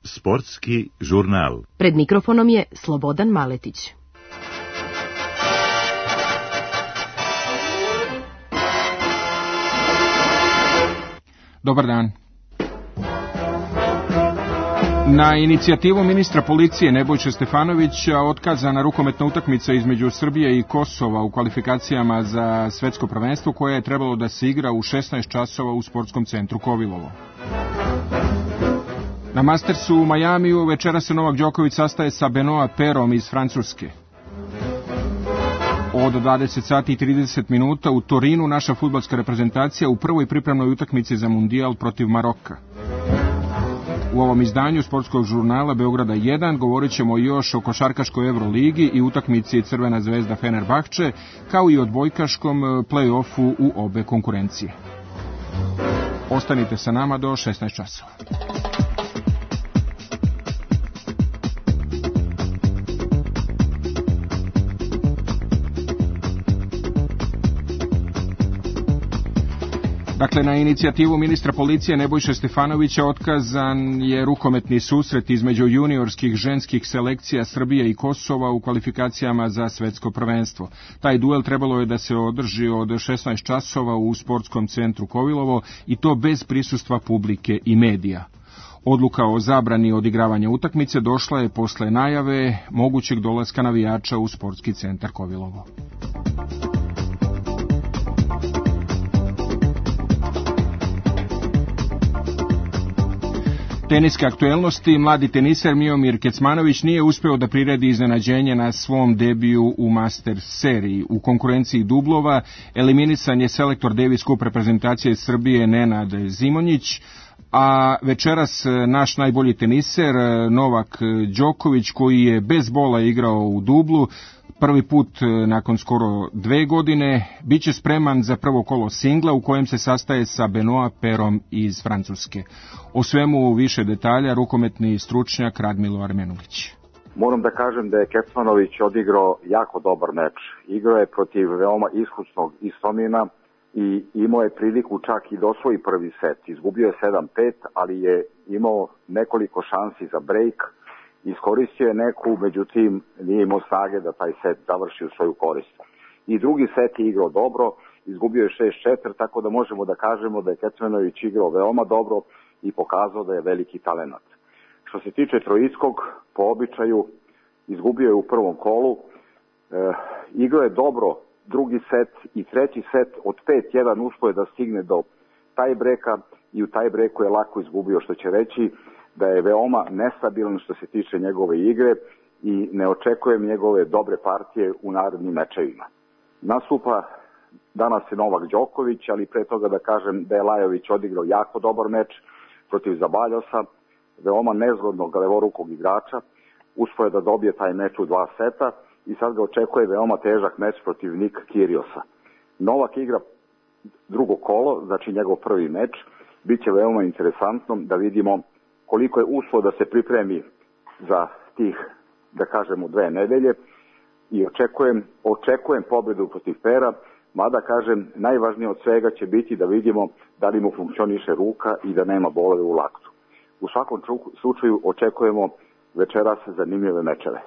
Sportski žurnal. Pred mikrofonom je Slobodan Maletić. Dobar dan. Na inicijativu ministra policije Nebojše Stefanovića otkazana rukometna utakmica između Srbije i Kosova u kvalifikacijama za svetsko prvenstvo koje je trebalo da se igra u 16 časova u sportskom centru Kovilovo. Na Mastersu u Majamiju večera se Novak Đoković sastaje sa Benoit Pairom iz Francuske. Od 20 sati i 30 minuta u Torinu naša fudbalska reprezentacija u prvoj pripremnoj utakmici za Mundijal protiv Maroka. U ovom izdanju sportskog žurnala Beograda 1 govorit ćemo još o košarkaškoj Euroligi i utakmici Crvena zvezda Fenerbahče, kao i o odbojkaškom play-offu u obe konkurencije. Ostanite sa nama do 16 časova. Dakle, na inicijativu ministra policije Nebojše Stefanovića otkazan je rukometni susret između juniorskih ženskih selekcija Srbije i Kosova u kvalifikacijama za svetsko prvenstvo. Taj duel trebalo je da se održi od 16 časova u sportskom centru Kovilovo i to bez prisustva publike i medija. Odluka o zabrani odigravanja utakmice došla je posle najave mogućeg dolaska navijača u sportski centar Kovilovo. Teniske aktuelnosti, mladi teniser Miomir Kecmanović nije uspeo da priredi iznenađenje na svom debiju u Masters seriji. U konkurenciji dublova eliminisan je selektor Davis Cup reprezentacije Srbije Nenad Zimonjić, a večeras naš najbolji teniser Novak Đoković, koji je bez bola igrao u dublu, prvi put nakon skoro 2 godine, bit će spreman za prvo kolo singla u kojem se sastaje sa Benoit Pairom iz Francuske. O svemu više detalja rukometni stručnjak Radmilo Armenulić. Moram da kažem da je Kecmanović odigrao jako dobar meč. Igrao je protiv veoma iskusnog Istomina i imao je priliku čak i da osvoji prvi set. Izgubio je 7-5, ali je imao nekoliko šansi za break. Iskoristio je neku, međutim nije imao snage da taj set završi u svoju korist. I drugi set je igrao dobro, izgubio je 6-4, tako da možemo da kažemo da je Kecmanović igrao veoma dobro i pokazao da je veliki talenat. Što se tiče trojickog, po običaju, izgubio je u prvom kolu, igrao je dobro drugi set i treći set od 5-1 uspio je da stigne do tajbreka i u tajbreku je lako izgubio, što će reći da je veoma nestabilan što se tiče njegove igre i ne očekujem njegove dobre partije u narednim mečevima. Nastupa danas je Novak Đoković, ali pre toga da kažem da je Lajović odigrao jako dobar meč protiv Zabaljosa, veoma nezgodnog levorukog igrača, uspio je da dobije taj meč u 2 seta i sad ga očekuje veoma težak meč protiv Nik Kiriosa. Novak igra drugo kolo, znači njegov prvi meč, bit će veoma interesantno da vidimo koliko je uspio da se pripremi za tih, da kažemo, 2 nedelje i očekujem pobedu protiv Paira, mada kažem, najvažnije od svega će biti da vidimo da li mu funkcioniše ruka i da nema bolove u laktu. U svakom slučaju očekujemo večeras zanimljive mečeve.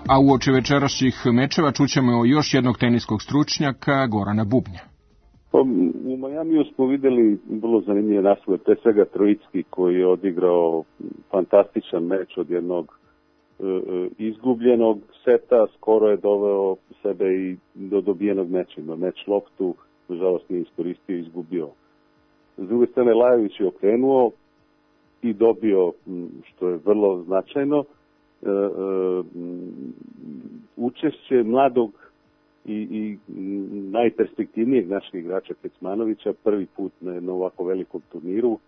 A uoči večerašnjih mečeva čućemo još jednog teniskog stručnjaka, Gorana Bubnja. U Majamiju smo videli vrlo zanimljive naslove, pre svega Trojicki koji je odigrao fantastičan meč od jednog izgubljenog seta, skoro je doveo sebe i do dobijenog meča. Meč loptu, nažalost nije iskoristio i izgubio. S druge strane, Lajović je okrenuo i dobio, što je vrlo značajno, učešće mladog i najperspektivnijeg našeg igrača Kecmanovića, prvi put na jednom ovako velikom turniru,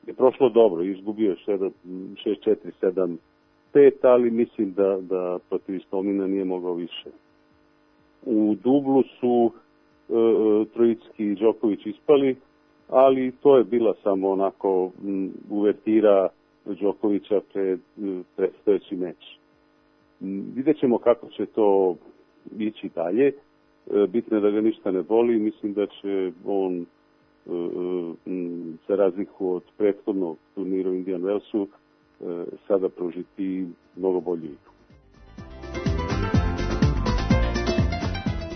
je prošlo dobro, izgubio 6-4, 7-5, ali mislim da protiv Istomina nije mogao više. U dublu su Trojicki i Đoković ispali, ali to je bila samo onako uvertira Đokovića pred predstojeći meč. Vidjet ćemo kako će to ići dalje. bitno je da ga ništa ne boli. Mislim da će on za razliku od prethodnog turnira u Indian Wellsu sada prožiti mnogo bolju igru.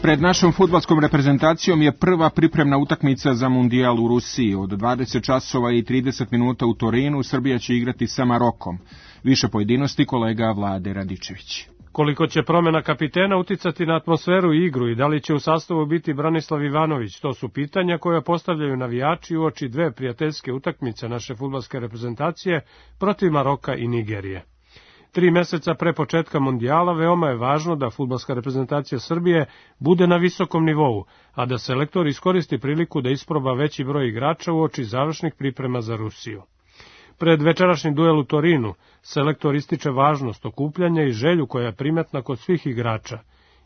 Pred našom fudbalskom reprezentacijom je prva pripremna utakmica za mundijal u Rusiji. Od 20 časova i 30 minuta u Torinu Srbija će igrati sa Marokom. Više pojedinosti kolega Vlade Radičević. Koliko će promjena kapitena uticati na atmosferu i igru i da li će u sastavu biti Branislav Ivanović, to su pitanja koja postavljaju navijači uoči dve prijateljske utakmice naše fudbalske reprezentacije protiv Maroka i Nigerije. 3 meseca pre početka mondijala veoma je važno da fudbalska reprezentacija Srbije bude na visokom nivou, a da selektor iskoristi priliku da isproba veći broj igrača uoči završnih priprema za Rusiju. Pred večerašnji duel u Torinu, selektor ističe važnost okupljanja i želju koja je primetna kod svih igrača.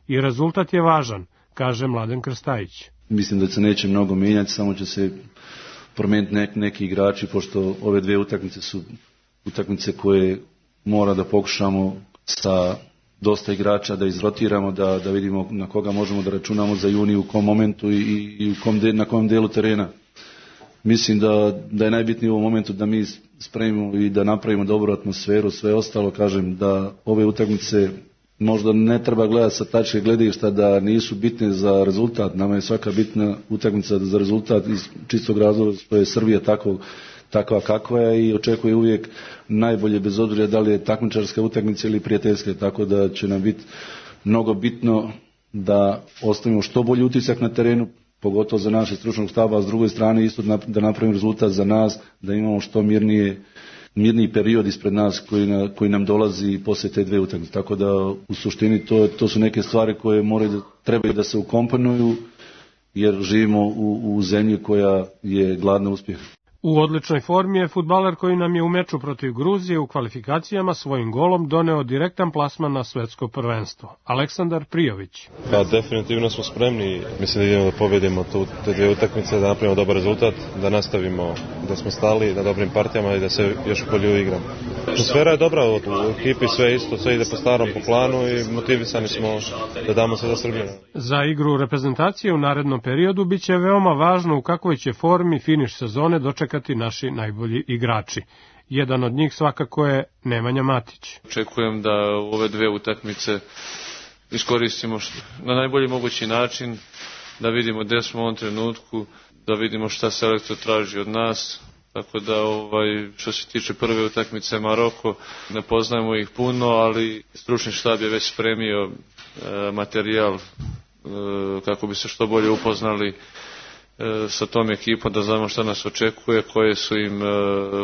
I rezultat je važan, kaže Mladen Krstajić. Mislim da se neće mnogo mijenjati, samo će se promijeniti neki igrači, pošto ove dvije utakmice su utakmice koje mora da pokušamo sa dosta igrača da izrotiramo, da vidimo na koga možemo da računamo za juni, u kom momentu i na kom delu terena. Mislim da je najbitnije u ovom momentu da mi spremimo i da napravimo dobru atmosferu, sve ostalo, kažem da ove utakmice možda ne treba gledati sa tačke gledišta da nisu bitne za rezultat. Nama je svaka bitna utakmica za rezultat iz čistog razloga što je Srbija takva kakva je i očekuje uvijek najbolje bez obzira da li je takmičarska utakmica ili prijateljska, tako da će nam biti mnogo bitno da ostavimo što bolji utisak na terenu, pogotovo za naše stručnog stava, a s druge strane isto da napravimo rezultat za nas, da imamo što mirniji period ispred nas koji nam dolazi poslije te dve utakmice. Tako da u suštini to su neke stvari koje trebaju da se ukomponuju jer živimo u zemlji koja je gladna uspjeha. U odličnoj formi je fudbaler koji nam je u meču protiv Gruzije u kvalifikacijama svojim golom doneo direktan plasman na svetsko prvenstvo. Aleksandar Prijović. Definitivno smo spremni. Mislim da idemo da pobedimo te dvije utakmice, da napravimo dobar rezultat, da nastavimo da smo stali na dobrim partijama i da se još bolje igramo. Atmosfera je dobra u ekipi, sve isto, sve ide po starom, po planu i motivisani smo da damo sve za Srbiju. Za igru reprezentacije u narednom periodu biće veoma važno u kakvoj će formi finiš sezone dočekati naši najbolji igrači. Jedan od njih svakako je Nemanja Matić. Očekujem da ove dve utakmice iskoristimo na najbolji mogući način, da vidimo gdje smo u ovom trenutku, da vidimo šta selektor traži od nas. Tako da što se tiče prve utakmice Maroko, ne poznajemo ih puno, ali stručni štab je već spremio materijal kako bi se što bolje upoznali sa tom ekipom, da znamo šta nas očekuje, koje su im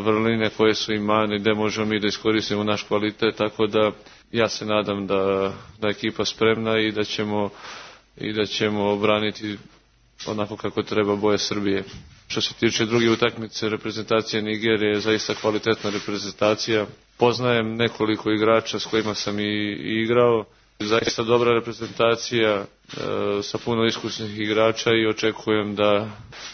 vrline, koje su im mane, gdje možemo mi da iskoristimo naš kvalitet, tako da ja se nadam da je ekipa spremna i da ćemo obraniti onako kako treba boje Srbije. Što se tiče druge utakmice, reprezentacija Nigerije je zaista kvalitetna reprezentacija. Poznajem nekoliko igrača s kojima sam i igrao. Zaista dobra reprezentacija sa puno iskusnih igrača i očekujem da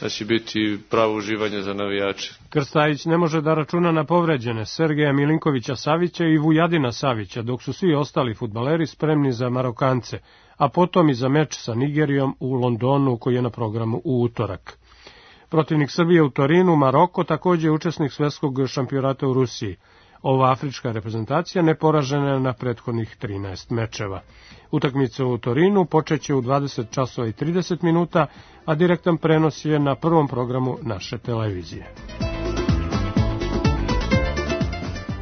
će biti pravo uživanje za navijače. Krstajić ne može da računa na povređene Sergeja Milinkovića Savića i Vujadina Savića, dok su svi ostali fudbaleri spremni za Marokance, a potom i za meč sa Nigerijom u Londonu koji je na programu u utorak. Protivnik Srbije u Torinu, Maroko, također je učesnik svjetskog šampionata u Rusiji. Ova afrička reprezentacija neporažena je na prethodnih 13 mečeva. Utakmica u Torinu počeće u 20 časova i 30 minuta, a direktan prenos je na prvom programu naše televizije.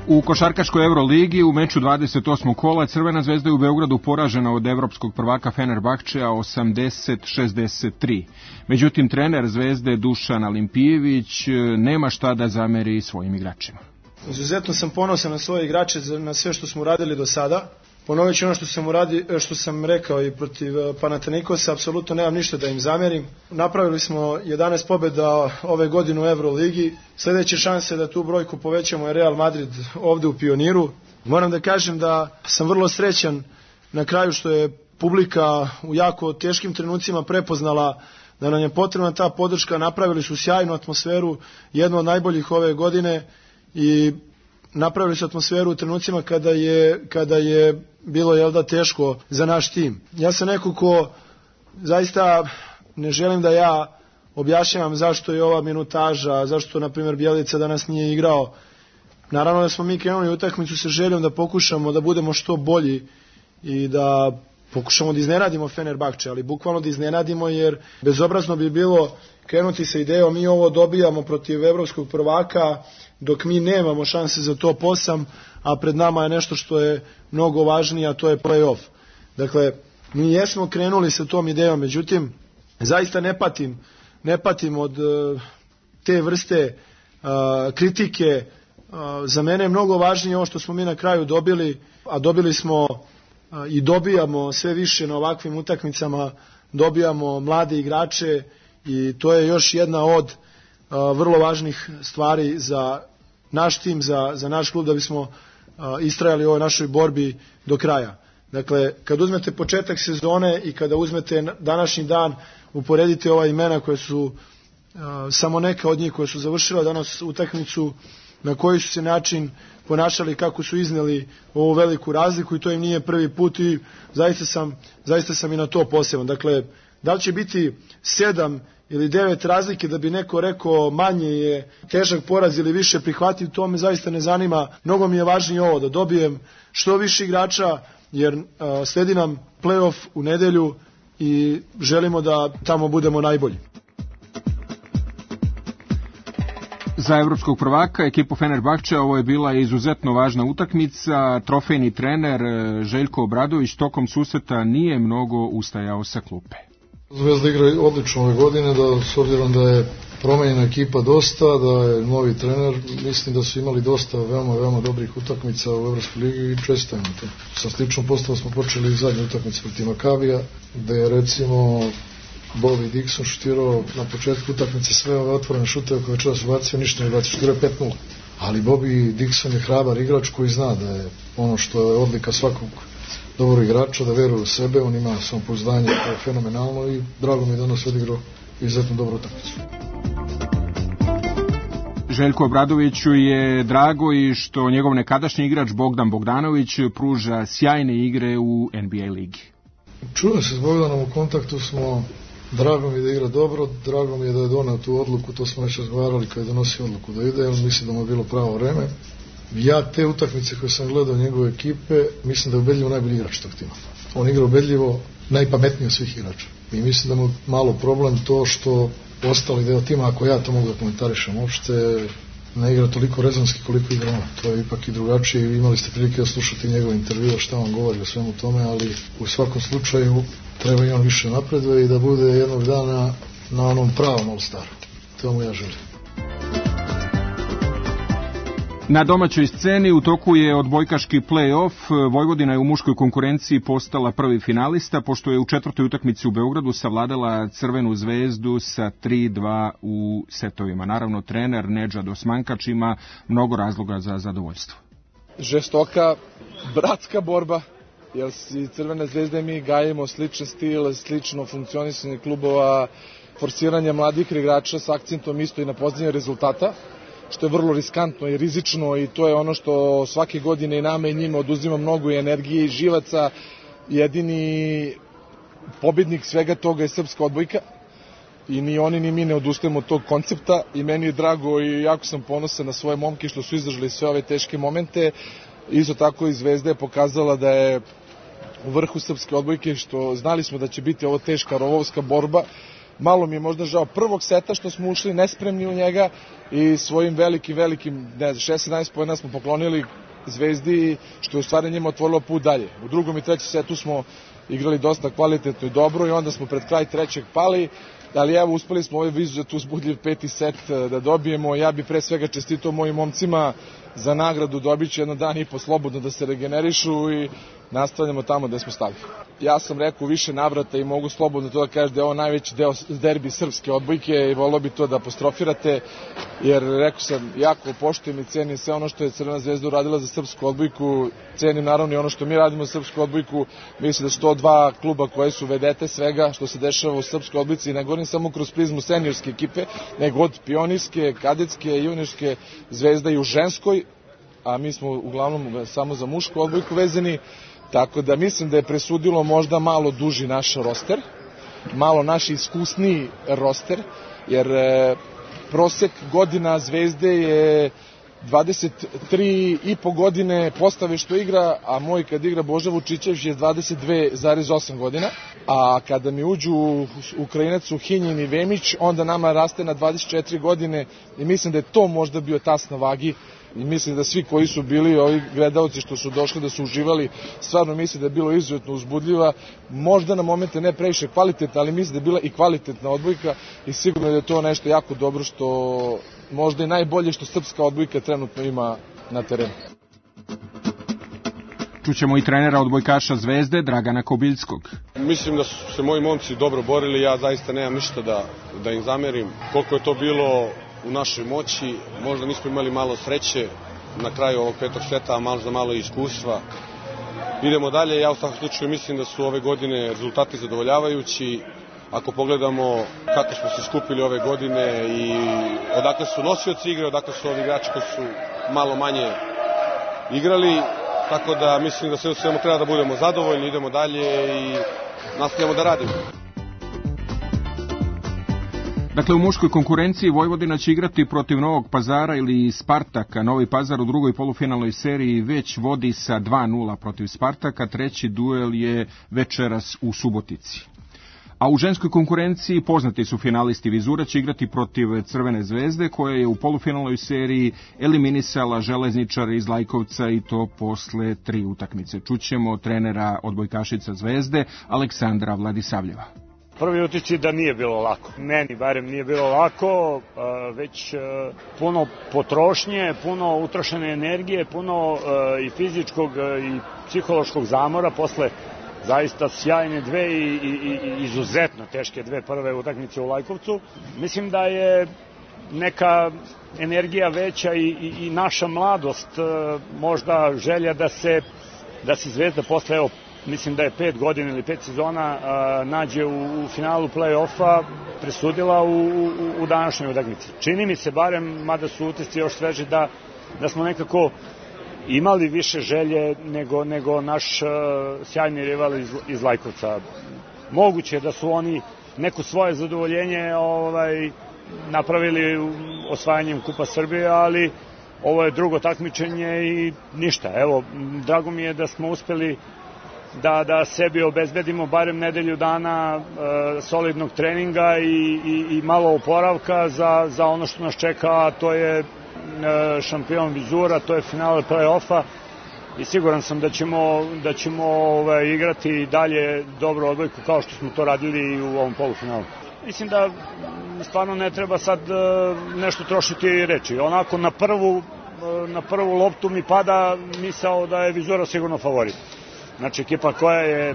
U košarkaškoj Euroligi u meču 28. kola Crvena zvezda je u Beogradu poražena od evropskog prvaka Fenerbahčeja 80-63. Međutim, trener Zvezde Dušan Alimpijević nema šta da zameri svojim igračima. Izuzetno sam ponosan na svoje igrače, na sve što smo uradili do sada. Ponovit ću ono što sam rekao i protiv Panathinaikosa, apsolutno nemam ništa da im zamerim. Napravili smo 11 pobjeda ove godine u Euroligi. Sljedeće šanse da tu brojku povećamo je Real Madrid ovdje u Pioniru. Moram da kažem da sam vrlo srećan na kraju što je publika u jako teškim trenucima prepoznala da nam je potrebna ta podrška. Napravili su sjajnu atmosferu, jednu od najboljih ove godine i napravili su atmosferu u trenucima kada je bilo teško za naš tim. Ja sam neko ko zaista ne želim da ja objašnjavam zašto je ova minutaža, zašto, na primjer, Bjelica danas nije igrao. Naravno da smo mi krenuli utakmicu sa željom da pokušamo da budemo što bolji i da pokušamo da iznenadimo Fenerbahče, ali bukvalno da iznenadimo, jer bezobrazno bi bilo krenuti sa idejom mi ovo dobijamo protiv evropskog prvaka dok mi nemamo šanse za top 8, a pred nama je nešto što je mnogo važnije, a to je play-off. Dakle, mi jesmo krenuli sa tom idejom, međutim, zaista ne patim od te vrste kritike. Za mene je mnogo važnije ovo što smo mi na kraju dobili, a dobili smo i dobijamo sve više na ovakvim utakmicama, dobijamo mlade igrače i to je još jedna od vrlo važnih stvari za naš tim, za naš klub, da bismo istrajali u ovoj našoj borbi do kraja. Dakle, kad uzmete početak sezone i kada uzmete današnji dan, uporedite ova imena koje su, samo neka od njih koje su završila danas utakmicu, na koji su se način ponašali, kako su izneli ovu veliku razliku, i to im nije prvi put i zaista sam i na to poseban. Dakle, da li će biti 7 ili 9 razlike da bi neko rekao manje je težak poraz ili više prihvativ, to me zaista ne zanima. Mnogo mi je važnije ovo, da dobijem što više igrača, jer sledi nam play-off u nedelju i želimo da tamo budemo najbolji. Za evropskog prvaka, ekipu Fenerbahče, ovo je bila izuzetno važna utakmica. Trofejni trener Željko Obradović tokom susreta nije mnogo ustajao sa klupe. Zvezda igra odlično ove godine, da s obzirom da je promenjena ekipa dosta, da je novi trener, mislim da su imali dosta veoma dobrih utakmica u Evropskoj ligi i čestitam to. Sa sličnom postavom smo počeli zadnju utakmicu protiv Makabija, gde je recimo Bobby Dixon šutirao na početku utakmice sve ove otvorene šuteve koje večeras ubacio, ništa ne bacio, šutirao 5-0. Ali Bobby Dixon je hrabar igrač koji zna da je ono što je odlika svakog dobrog igrača, da veruje u sebe, on ima samopouzdanje koje je fenomenalno i drago mi je danas odigrao izuzetno dobru utakmicu. Željko Obradoviću je drago i što njegov nekadašnji igrač Bogdan Bogdanović pruža sjajne igre u NBA ligi. Čujem se s Bogdanom, u kontaktu smo, drago mi je da igra dobro, drago mi je da je donao tu odluku, to smo već razgovarali kad je donosio odluku da ide, on misli da mu je bilo pravo vreme. Ja te utakmice koje sam gledao njegove ekipe, mislim da je ubedljivo najbolji igrač tog tima. On igra ubedljivo najpametniji od svih igrača. I mislim da mu malo problem to što ostali deo tima, ako ja to mogu da komentarišem uopšte, ne igra toliko rezonski koliko igra on. To je ipak i drugačije. Imali ste prilike da slušati njegov intervju, šta on govori o svemu tome, ali u svakom slučaju treba i on više napreduje i da bude jednog dana na onom pravom All-Staru. To mu ja želim. Na domaćoj sceni u toku je odbojkaški play-off. Vojvodina je u muškoj konkurenciji postala prvi finalista, pošto je u četvrtoj utakmici u Beogradu savladala Crvenu zvezdu sa 3-2 u setovima. Naravno, trener Nedžad Osmankač ima mnogo razloga za zadovoljstvo. Žestoka, bratska borba, jer si Crvena zvezda i mi gajimo sličan stil, slično funkcionisanje klubova, forsiranje mladih igrača s akcentom isto i na postizanje rezultata, što je vrlo riskantno i rizično i to je ono što svake godine i nama i njima oduzima mnogo energije i živaca. Jedini pobednik svega toga je srpska odbojka i ni oni ni mi ne odustajemo od tog koncepta i meni je drago i jako sam ponosan na svoje momke što su izdržali sve ove teške momente. Isto tako i Zvezda je pokazala da je u vrhu srpske odbojke, što znali smo da će biti ovo teška rovovska borba. Malo mi je možda žao prvog seta što smo ušli nespremni u njega i svojim velikim, 16-17 pojena smo poklonili Zvezdi, što je u stvari njima otvorilo put dalje. U drugom i trećem setu smo igrali dosta kvalitetno i dobro i onda smo pred kraj trećeg pali, ali evo uspeli smo ovaj izuzetno uzbudljiv peti set da dobijemo. Ja bi pre svega čestitao mojim momcima za nagradu, dobit će jedan dan i po slobodno da se regenerišu i nastavljamo tamo gde smo stali. Ja sam rekao više navrata i mogu slobodno to da kažem da je ovo najveći deo derbi srpske odbojke i volio bi to da apostrofirate, jer rekao sam jako poštujem i cenim sve ono što je Crvena zvezda uradila za srpsku odbojku, cenim naravno i ono što mi radimo za srpsku odbojku. Mislim da su to dva kluba koje su vedete svega što se dešava u srpskoj odbojci i ne govorim samo kroz prizmu seniorske ekipe, nego od pionirske, kadetske, juniorske, Zvezda i u ženskoj, a mi smo uglavnom samo za mušku odbojku vezani. Tako da mislim da je presudilo možda malo duži naš roster, malo naš iskusniji roster, jer prosek godina Zvezde je 23,5 godine postave što igra, a moj kad igra Boža Vučićević je 22,8 godina, a kada mi uđu Ukrajinac Suhinjin i Vemić, onda nama raste na 24 godine i mislim da je to možda bio tas na vagi i mislim da svi koji su bili ovi gledalci što su došli da su uživali, stvarno mislim da je bilo izuzetno uzbudljiva, možda na momente ne previše kvalitetna, ali mislim da je bila i kvalitetna odbojka i sigurno da je to nešto jako dobro što možda i najbolje što srpska odbojka trenutno ima na terenu. Čućemo i trenera odbojkaša Zvezde, Dragana Kobiljskog. Mislim da su se moji momci dobro borili, ja zaista nemam ništa da im zamerim. Koliko je to bilo u našoj moći, možda nismo imali malo sreće na kraju ovog petog seta, a možda malo iskustva. Idemo dalje, ja u svakom slučaju mislim da su ove godine rezultati zadovoljavajući. Ako pogledamo kako smo se skupili ove godine i odakle su nosioci igre, odakle su ovi igrači koji su malo manje igrali, tako da mislim da sve u svemu treba da budemo zadovoljni, idemo dalje i nastavljamo da radimo. Dakle, u muškoj konkurenciji Vojvodina će igrati protiv Novog Pazara ili Spartaka. Novi Pazar u drugoj polufinalnoj seriji već vodi sa 2:0 protiv Spartaka. Treći duel je večeras u Subotici. A u ženskoj konkurenciji poznati su finalisti. Vizura će igrati protiv Crvene Zvezde, koja je u polufinalnoj seriji eliminisala Železničare iz Lajkovca i to posle 3 utakmice. Čućemo trenera odbojkašica Zvezde, Aleksandra Vladisavljeva. Prvi utisci da nije bilo lako. Meni barem nije bilo lako, već puno potrošnje, puno utrošene energije, puno i fizičkog i psihološkog zamora posle zaista sjajne dve i izuzetno teške dve prve utakmice u Lajkovcu. Mislim da je neka energija veća i naša mladost, možda želja da se Zvezda posle, evo, mislim da je 5 godina ili 5 sezona nađe u finalu play-offa, presudila u današnjoj utakmici. Čini mi se barem, mada su utisci još sveži, da smo nekako imali više želje nego naš sjajni rival iz Lajkovca. Moguće da su oni neko svoje zadovoljenje napravili osvajanjem Kupa Srbije, ali ovo je drugo takmičenje i ništa. Evo, drago mi je da smo uspeli da sebi obezbedimo barem nedelju dana solidnog treninga i malo oporavka za ono što nas čeka, a to je šampion Vizura, to je finale play-offa i siguran sam da ćemo igrati dalje dobru odbojku kao što smo to radili i u ovom polufinalu. Mislim da stvarno ne treba sad nešto trošiti reči. Onako na prvu loptu mi pada misao da je Vizura sigurno favorit. Znači ekipa koja je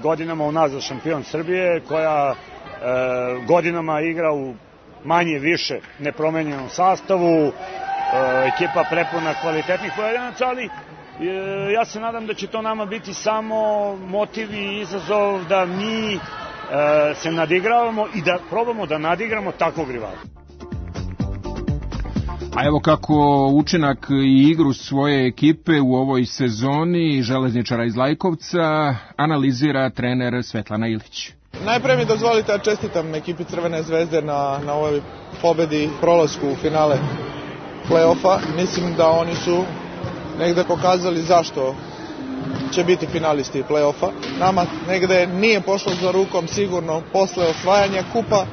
godinama unazad šampion Srbije, koja godinama igra u manje više nepromenjenom sastavu, ekipa prepuna kvalitetnih pojedinaca, ali ja se nadam da će to nama biti samo motiv i izazov da mi se nadigravamo i da probamo da nadigramo takvog rivala. A evo kako učinak i igru svoje ekipe u ovoj sezoni Železničara iz Lajkovca analizira trener Svetlana Ilić. Najpre mi dozvolite da čestitam ekipi Crvene Zvezde na ovoj pobedi i prolasku u finale play-offa. Mislim da oni su negde pokazali zašto će biti finalisti play-offa. Nama negde nije pošlo za rukom sigurno posle osvajanja kupa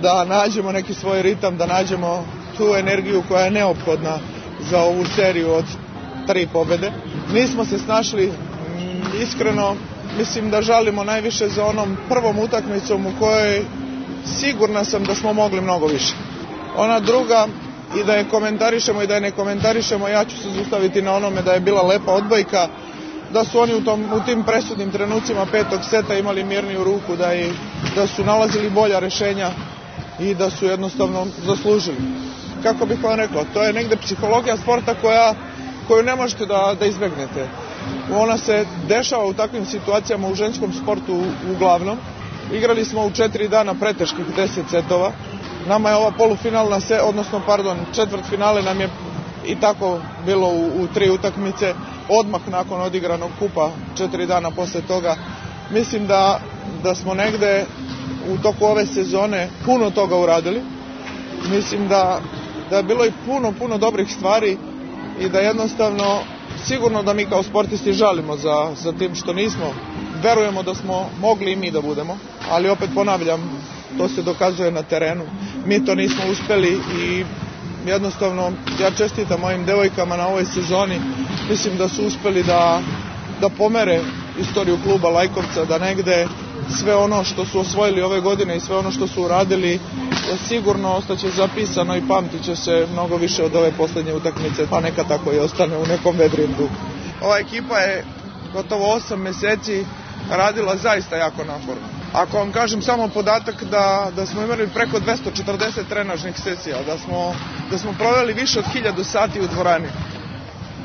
da nađemo neki svoj ritam, da nađemo tu energiju koja je neophodna za ovu seriju od 3 pobede. Nismo se snašli, iskreno mislim da žalimo najviše za onom prvom utakmicom u kojoj sigurna sam da smo mogli mnogo više. Ona druga, i da je komentarišemo i da je ne komentarišemo, ja ću se zaustaviti na onome da je bila lepa odbojka, da su oni u tim presudnim trenucima petog seta imali mirniju ruku, da su nalazili bolja rešenja i da su jednostavno zaslužili. Kako bih vam rekao, to je negde psihologija sporta koju ne možete da izbegnete. Ona se dešava u takvim situacijama u ženskom sportu uglavnom. Igrali smo u 4 dana preteških 10 setova. Nama je ova polufinalna, četvrtfinale nam je i tako bilo u 3 utakmice, odmah nakon odigranog kupa 4 dana posle toga. Mislim da da smo negde u toku ove sezone puno toga uradili. Mislim da je bilo i puno dobrih stvari i da jednostavno sigurno da mi kao sportisti žalimo za tim što nismo. Verujemo da smo mogli i mi da budemo, ali opet ponavljam, to se dokazuje na terenu. Mi to nismo uspeli i jednostavno ja čestitam mojim devojkama na ovoj sezoni. Mislim da su uspeli da pomere istoriju kluba Lajkovca, da negde sve ono što su osvojili ove godine i sve ono što su uradili sigurno ostaće zapisano i pamtit će se mnogo više od ove poslednje utakmice, pa neka tako i ostane u nekom vedrijem duhu. Ova ekipa je gotovo 8 meseci radila zaista jako naporno. Ako vam kažem samo podatak da smo imali preko 240 trenažnih sesija, da smo proveli više od 1000 sati u dvorani.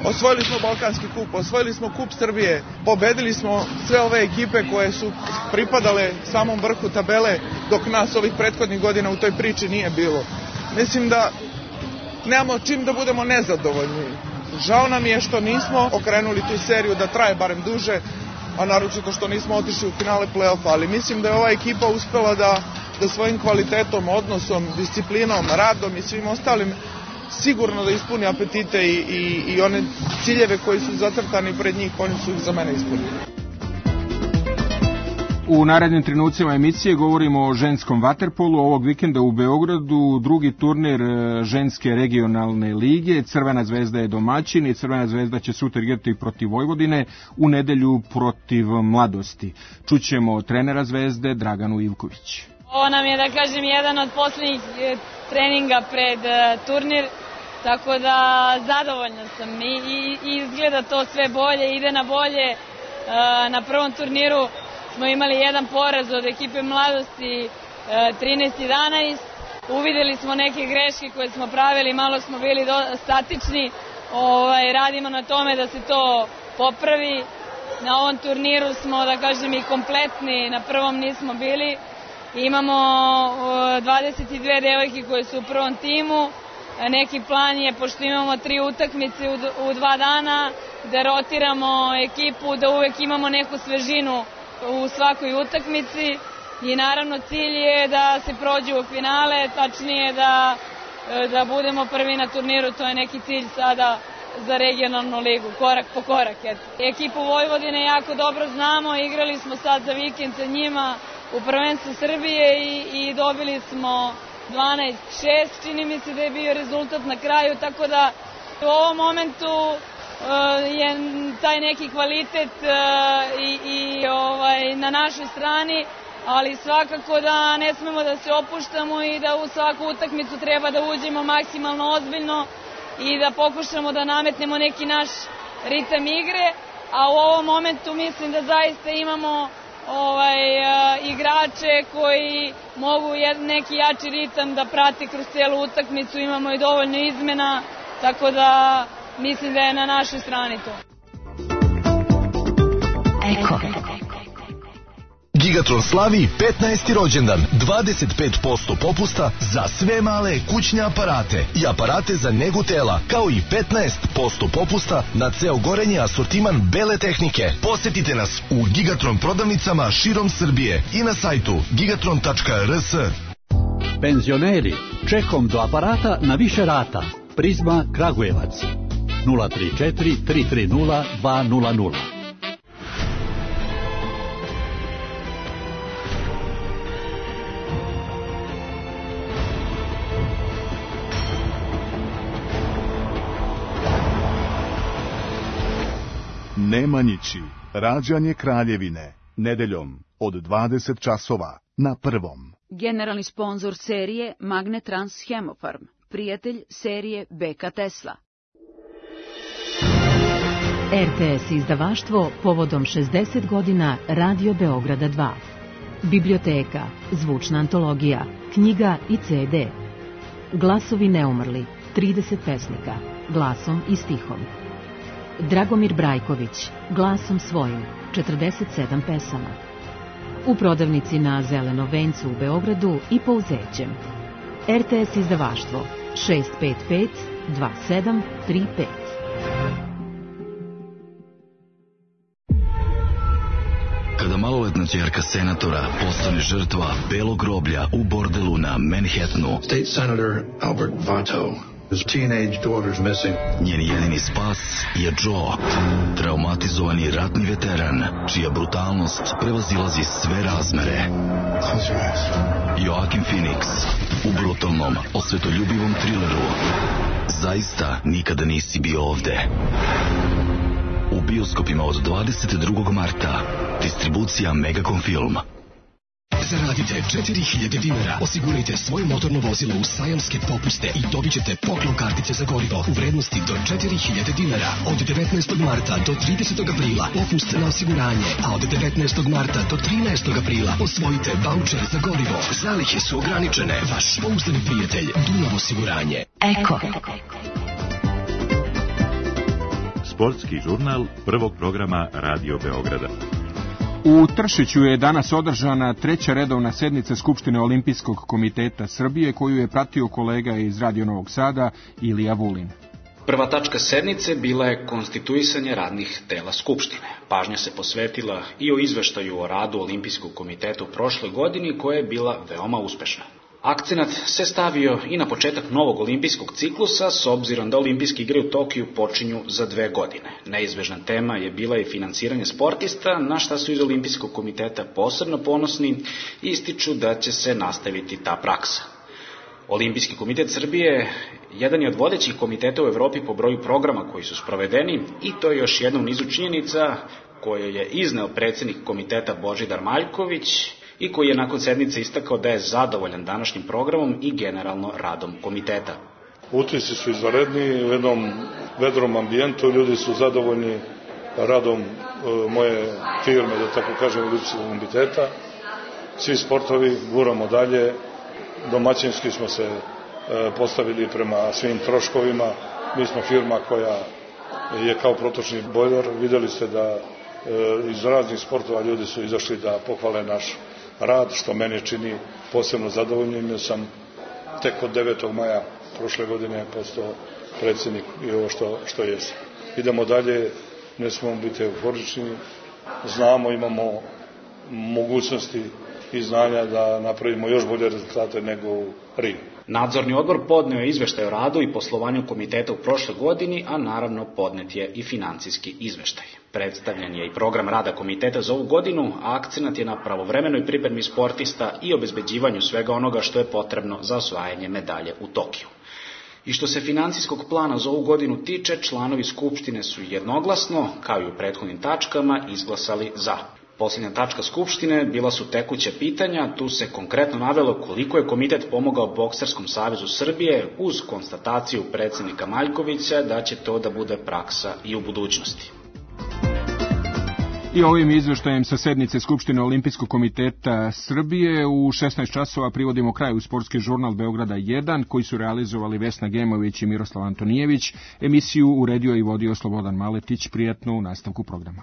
Osvojili smo Balkanski kup, osvojili smo Kup Srbije, pobedili smo sve ove ekipe koje su pripadale samom vrhu tabele, dok nas ovih prethodnih godina u toj priči nije bilo. Mislim da nemamo čim da budemo nezadovoljni. Žao nam je što nismo okrenuli tu seriju da traje barem duže, a naročito što nismo otišli u finale play-offa, ali mislim da je ova ekipa uspela da svojim kvalitetom, odnosom, disciplinom, radom i svim ostalim sigurno da ispuni apetite i one ciljeve koji su zacrtani pred njih, oni su ih za mene ispunili. U narednim trenucima emisije govorimo o ženskom vaterpolu. Ovog vikenda u Beogradu drugi turnir ženske regionalne lige. Crvena zvezda je domaćin i Crvena zvezda će sutra igrati protiv Vojvodine, u nedelju protiv Mladosti. Čućemo trenera Zvezde Draganu Ivković. Ovo nam je, da kažem, jedan od poslednjih treninga pred turnir, tako da zadovoljna sam i izgleda to sve bolje, ide na bolje. Na prvom turniru smo imali jedan poraz od ekipe Mladosti, 13-11. Uvideli smo neke greške koje smo pravili, malo smo bili statični. Radimo na tome da se to popravi. Na ovom turniru smo, da kažem, i kompletni, na prvom nismo bili. Imamo 22 devojke koje su u prvom timu. Neki plan je, pošto imamo 3 utakmice u 2 dana, da rotiramo ekipu, da uvek imamo neku svežinu u svakoj utakmici i naravno cilj je da se prođe u finale, tačnije da budemo prvi na turniru, to je neki cilj sada za regionalnu ligu, korak po korak. Ekipu Vojvodine jako dobro znamo, igrali smo sad za vikend sa njima u prvenstvu Srbije i dobili smo 12-6, čini mi se da je bio rezultat na kraju, tako da u ovom momentu je taj neki kvalitet na našoj strani, ali svakako da ne smemo da se opuštamo i da u svaku utakmicu treba da uđemo maksimalno ozbiljno i da pokušamo da nametnemo neki naš ritam igre, a u ovom momentu mislim da zaista imamo igrače koji mogu neki jači ritam da prate kroz celu utakmicu, imamo i dovoljno izmena, tako da mislim da je na našoj strani to. Gigatron slavi 15. rođendan, 25% popusta za sve male kućne aparate i aparate za negu tela, kao i 15% popusta na ceo gorenje asortiman bele tehnike. Posetite nas u Gigatron prodavnicama širom Srbije i na sajtu gigatron.rs. Penzioneri, čekom do aparata na više rata. Prizma Kragujevac 034 330 200. Nemanjići, rađanje Kraljevine, nedeljom od 20 časova na Prvom. Generalni sponzor serije Magnetrans Hemofarm, prijatelj serije BK Tesla. RTS izdavaštvo povodom 60 godina Radio Beograda 2. Biblioteka, zvučna antologija, knjiga i CD. Glasovi neumrli, 30 pesnika, glasom i stihom. Dragomir Brajković, glasom svojim, 47 pesama. U prodavnici na Zelenom vencu u Beogradu i Pouzećem. RTS izdavaštvo 655 2735. Kada maloletno Četvrtna ćerka senatora postane žrtva belog groblja u bordelu na Manhattanu. State Senator Albert Vato. His teenage daughter's missing. Njen jedini spas je Joe, traumatizovani ratni veteran, čija brutalnost prevazilazi sve razmere. Joaquin Phoenix u brutalnom, osvetoljubivom trileru Zaista nikada nisi bio ovde. U bioskopima od 22. marta. Distribucija Megacom Film. Zaradite 4000 dinara, osigurajte svoje motorno vozilo u sajamske popuste i dobit ćete poklon kartice za gorivo u vrednosti do 4000 dinara. Od 19. marta do 30. aprila popust na osiguranje, a od 19. marta do 13. aprila osvojite vaučer za gorivo. Zalihe su ograničene. Vaš pouzdani prijatelj Dunav osiguranje. Eko. Sportski žurnal prvog programa Radio Beograda. U Tršiću je danas održana treća redovna sednica Skupštine Olimpijskog komiteta Srbije, koju je pratio kolega iz Radio Novog Sada Ilija Vulin. Prva tačka sednice bila je konstituisanje radnih tela Skupštine. Pažnja se posvetila i o izveštaju o radu Olimpijskog komiteta u prošloj godini, koja je bila veoma uspešna. Akcenat se stavio i na početak novog olimpijskog ciklusa, s obzirom da olimpijske igre u Tokiju počinju za 2 godine. Neizbežna tema je bila i finansiranje sportista, na šta su iz Olimpijskog komiteta posebno ponosni i ističu da će se nastaviti ta praksa. Olimpijski komitet Srbije jedan je od vodećih komiteta u Evropi po broju programa koji su sprovedeni i to je još jedna u nizu činjenica koje je izneo predsjednik komiteta Božidar Maljković i koji je nakon sednice istakao da je zadovoljan današnjim programom i generalno radom komiteta. Utisci su izvanredni, u jednom vedrom ambijentu, ljudi su zadovoljni radom moje firme, da tako kažem, Olimpijskog komiteta. Svi sportovi guramo dalje, domaćinski smo se postavili prema svim troškovima. Mi smo firma koja je kao protočni bojler. Videli ste da iz raznih sportova ljudi su izašli da pohvale naš rad, što mene čini posebno zadovoljnim. Ja sam tek od 9. maja prošle godine postao predsjednik i ovo što jesam. Idemo dalje, ne smemo biti euforični, znamo, imamo mogućnosti i znanja da napravimo još bolje rezultate nego u Rimu. Nadzorni odbor podneo je izveštaj o radu i poslovanju komiteta u prošloj godini, a naravno podnet je i financijski izveštaj. Predstavljen je i program rada komiteta za ovu godinu, a akcenat je na pravovremenoj pripremi sportista i obezbeđivanju svega onoga što je potrebno za osvajanje medalje u Tokiju. I što se financijskog plana za ovu godinu tiče, članovi Skupštine su jednoglasno, kao i u prethodnim tačkama, izglasali za. Posljednja tačka Skupštine bila su tekuće pitanja, tu se konkretno navelo koliko je komitet pomogao Bokserskom savezu Srbije uz konstataciju predsjednika Maljkovića da će to da bude praksa i u budućnosti. I ovim izveštajem sa sednice Skupštine Olimpijskog komiteta Srbije u 16 časova privodimo kraju sportski žurnal Beograda 1, koji su realizovali Vesna Gemović i Miroslav Antonijević. Emisiju uredio i vodio Slobodan Maletić. Prijatno u nastavku programa.